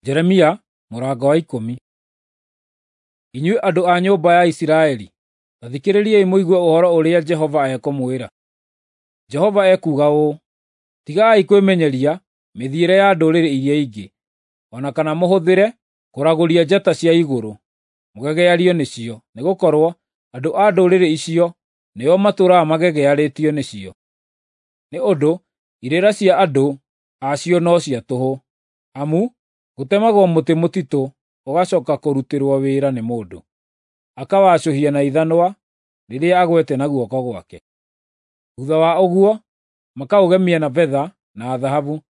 Jeremia mũrango wa 10. Inyuĩ andũ a nyũmba ya Isiraeli, ta thikĩrĩriai mũigue ũhoro ũrĩa Jehova ekũmwĩra. Jehova ekuuga ũũ: Tigai kwĩmenyeria mĩthiĩre ya ndũrĩrĩ iria ingĩ, o na kana mũhũthĩre kũragũria njata cia igũrũ, mũgegeario nĩcio, nĩgũkorwo andũ a ndũrĩrĩ icio nĩo matũũraga magegearĩtio nĩcio. Nĩ ũndũ irĩra cia andũ acio no cia tũhũ, amu gũtemagwo mũtĩ mũtitũ ũgacooka kũrutĩrwo wĩra nĩ mũndũ, akawacũhia na ithanwa rĩrĩa agwete na guoko gwake. Thuutha wa ũguo makaũgemia na betha na thahabu,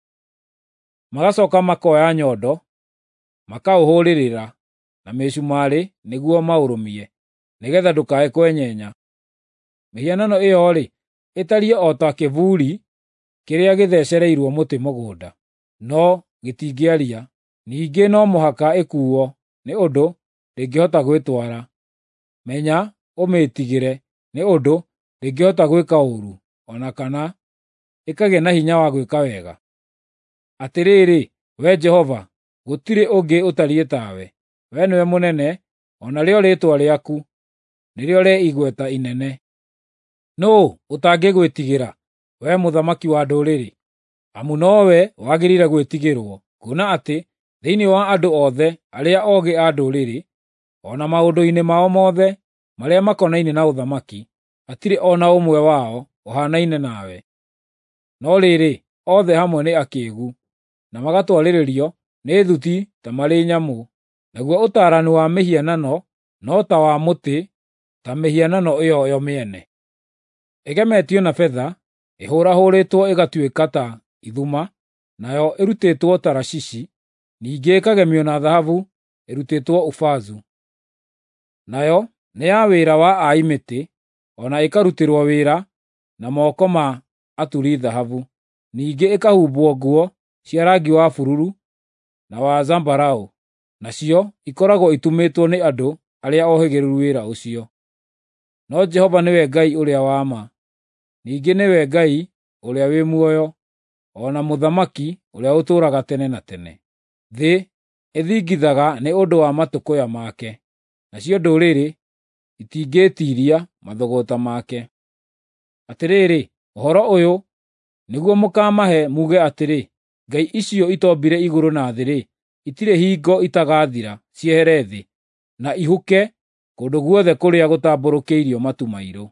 magacooka makoya nyondo makaũhũũrĩrĩra na mĩcumarĩ nĩguo maũrũmie, nĩgeetha ndũkae kwenyenya. Mĩhianano ĩyo-rĩ, ĩtariĩ o ta kĩbuuri kĩrĩa gĩthecereirwo mũtĩ mũgũnda, no gĩtingĩaria. Ningĩ no mũhaka ĩkuuo nĩ ũndũ ndĩngĩhota gwĩtwara. Menya ũmĩĩtigĩre, nĩ ũndũ ndĩngĩhota gwĩka ũũru, o na kana ĩkagĩa na hinya wa gwĩka wega. Atĩrĩrĩ, Wee Jehova, gũtirĩ ũngĩ ũtariĩ tawe; Wee nĩwe mũnene, o narĩo rĩĩtwa rĩaku nĩrĩo rĩ igweta inene. Nũũ ũtangĩgwĩtigĩra, Wee mũthamaki wa ndũrĩrĩ? Amu nowe wagĩrĩire gwĩtigĩrwo, kuona atĩ thĩinĩ wa andũ othe arĩa oogĩ a ndũrĩrĩ, o na maũndũ-inĩ mao mothe marĩa makonainie na ũthamaki, hatirĩ o na ũmwe wao ũhaanaine nawe. No rĩrĩ, othe hamwe nĩ akĩĩgu, na magatwarĩrĩrio nĩ thuti ta marĩ nyamũ, naguo ũtaarani wa mĩhianano no ta wa mũtĩ ta mĩhianano ĩyo yo mĩene. Ĩgemetio na betha, ĩhũũrahũũrĩtwo ĩgatuĩka ta ithuma, nayo ĩrutĩtwo Tarashishi, ningĩ ĩkagemio na thahabu ĩrutĩtwo Ufazu. Nayo nĩ ya wĩra wa ai mĩtĩ, o na ĩkarutĩrwo wĩra na moko ma aturi thahabu, ningĩ ĩkahumbwo nguo cia rangi wa bururu na wa zambarau, nacio ikoragwo itumĩtwo nĩ andũ arĩa ohĩgĩrĩru wĩra ũcio. No Jehova nĩwe Ngai ũrĩa wa ma, ningĩ nĩwe Ngai ũrĩa wĩ muoyo, o na Mũthamaki ũrĩa ũtũũraga tene na tene. Thĩ ĩthingithaga nĩ ũndũ wa matũkũya make, nacio ndũrĩrĩ itingĩĩtiiria mathũgũta make. Atĩrĩrĩ, ũhoro ũyũ nĩguo mũkaamahe muuge atĩrĩ, ‘Ngai icio itoombire igũrũ na thĩ-rĩ, itirĩ hingo itagathira ciehere thĩ, na ihuke kũndũ guothe kũrĩa gũtambũrũkĩirio matu mairũ.’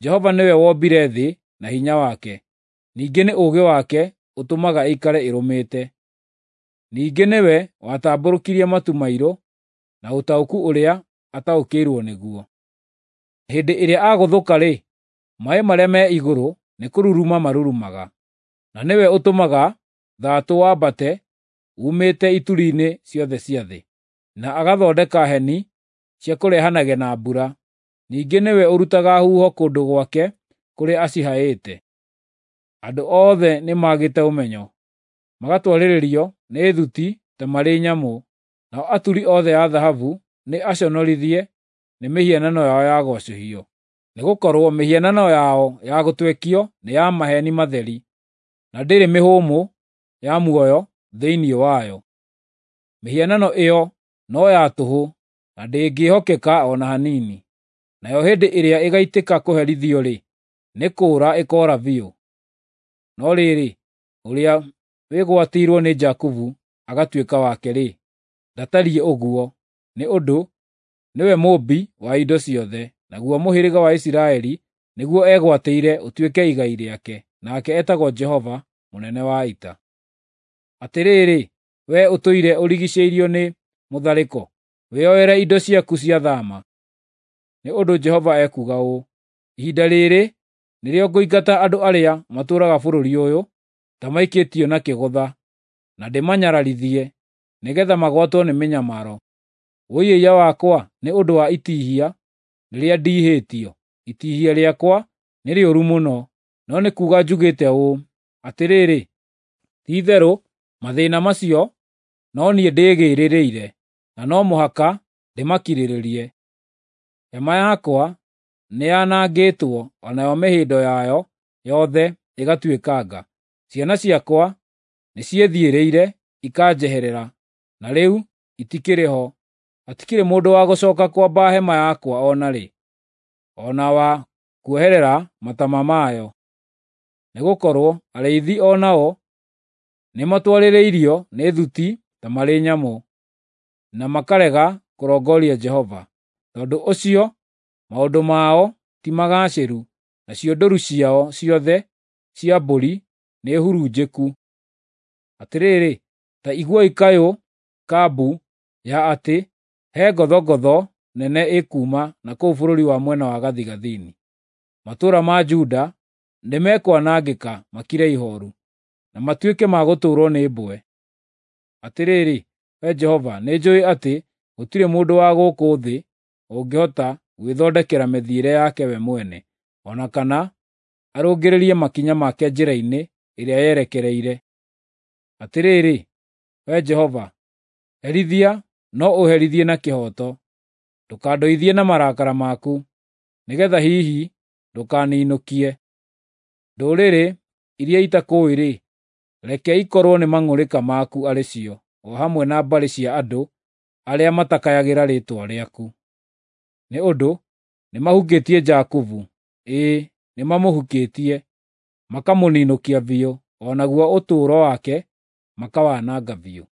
Jehova nĩwe wombire thĩ na hinya wake, ningĩ nĩ ũũgĩ wake ũtũmaga ĩikare ĩrũmĩte. Ningĩ nĩwe watambũrũkirie matu mairũ na ũtaũku ũrĩa ataũkĩirwo nĩguo. Hĩndĩ ĩrĩa agũthũka-rĩ, maaĩ marĩa me igũrũ nĩkũruruma marurumaga, na nĩwe ũtũmaga thaatũ wambate uumĩte ituri-inĩ ciothe cia thĩ, na agathondeka heni cia kũrehanage na mbura. Ningĩ nĩwe ũrutaga huho kũndũ gwake kũrĩa acihaĩte. Andũ othe nĩmagĩte ũmenyo, magatwarĩrĩrio nĩ thuti ta marĩ nyamũ, nao aturi othe a thahabu nĩ aconorithie nĩ mĩhianano yao ya gwacũhio, nĩgũkorwo mĩhianano yao ya gũtwekio nĩ ya maheeni matheri, na ndĩrĩ mĩhũmũ ya muoyo thĩinĩ wayo. Mĩhianano ĩyo no ya tũhũ na ndĩngĩhokeka o na hanini, nayo hĩndĩ ĩrĩa ĩgaitĩka kũherithio-rĩ, nĩ kũũra ĩkoora biũ. No rĩrĩ, ũrĩa wĩgwatĩirwo nĩ Jakubu agatuĩka wake-rĩ, ndatariĩ ũguo, nĩ ũndũ nĩwe Mũũmbi wa indo ciothe, naguo mũhĩrĩga wa Isiraeli nĩguo egwatĩire ũtuĩke igai rĩake, nake etagwo Jehova mũnene wa ita. Atĩrĩrĩ, wee ũtũire ũrigiicĩirio nĩ mũtharĩko, wĩoere indo ciaku cia thaama. Nĩ ũndũ Jehova ekuuga ũũ: Ihinda rĩrĩ nĩrĩo ngũingata andũ arĩa matũũraga bũrũri ũyũ ta maikĩtio na kĩgũtha, na ndĩmanyararithie, nĩgeetha magwatwo nĩ mĩnyamaro. Wũi-ĩiya wakwa nĩ ũndũ wa itihia rĩrĩa ndiihĩtio! Itihia rĩakwa nĩ rĩũru mũno, no nĩ kuuga njugĩte ũũ, ‘Atĩrĩrĩ, ti-itherũ mathĩĩna macio no niĩ ndĩgĩĩrĩire, na no mũhaka ndĩmakirĩrĩrie.’ Hema yakwa nĩyanangĩtwo, o nayo mĩhĩndo yayo yothe ĩgatuĩkanga. Ciana ciakwa nĩciĩthiĩrĩire ikanjeherera. Na rĩu itikĩrĩ ho, hatikĩrĩ mũndũ wa gũcooka kwamba hema yakwa o na rĩ, o na wa kuoherera matama mayo. Nĩgũkorwo arĩithi o nao nĩmatwarĩrĩirio nĩ thuti ta marĩ nyamũ, na makarega kũrongoria Jehova. Tondũ ũcio maũndũ mao ti magaacĩru, nacio ndũũru ciao ciothe cia mbũri nĩhurunjĩku. Atĩrĩrĩ, ta iguai kayũ ka mbu ya atĩ he ngothongotho nene ĩkuuma na kũu bũrũri wa mwena wa gathigathini. Matũũra ma Juda nĩmekwanangĩka makire ihooru, na matuĩke ma gũtũũrwo nĩ mbwe. Atĩrĩrĩ, Wee Jehova, nĩnjũũĩ atĩ gũtirĩ mũndũ wa gũkũ thĩ ũngĩhota gwĩthondekera mĩthiĩre yake we mwene, o na kana arũngĩrĩrie makinya make njĩra-inĩ ĩrĩa yerekereire. Atĩrĩrĩ, Wee Jehova, herithia no ũherithie na kĩhooto, ndũkandũithie na marakara maku, nĩgeetha hihi ndũkaninũkie. Ndũrĩrĩ iria itakũũĩ-rĩ, reke ikorwo nĩ mang'ũrĩka maku arĩ cio, o hamwe na mbarĩ cia andũ arĩa matakayagĩra rĩĩtwa rĩaku. Nĩ ũndũ nĩmahukĩtie Jakubu, ĩĩ nĩmamũhukĩtie, makamũninũkia biũ, o naguo ũtũũro wake makawananga biũ.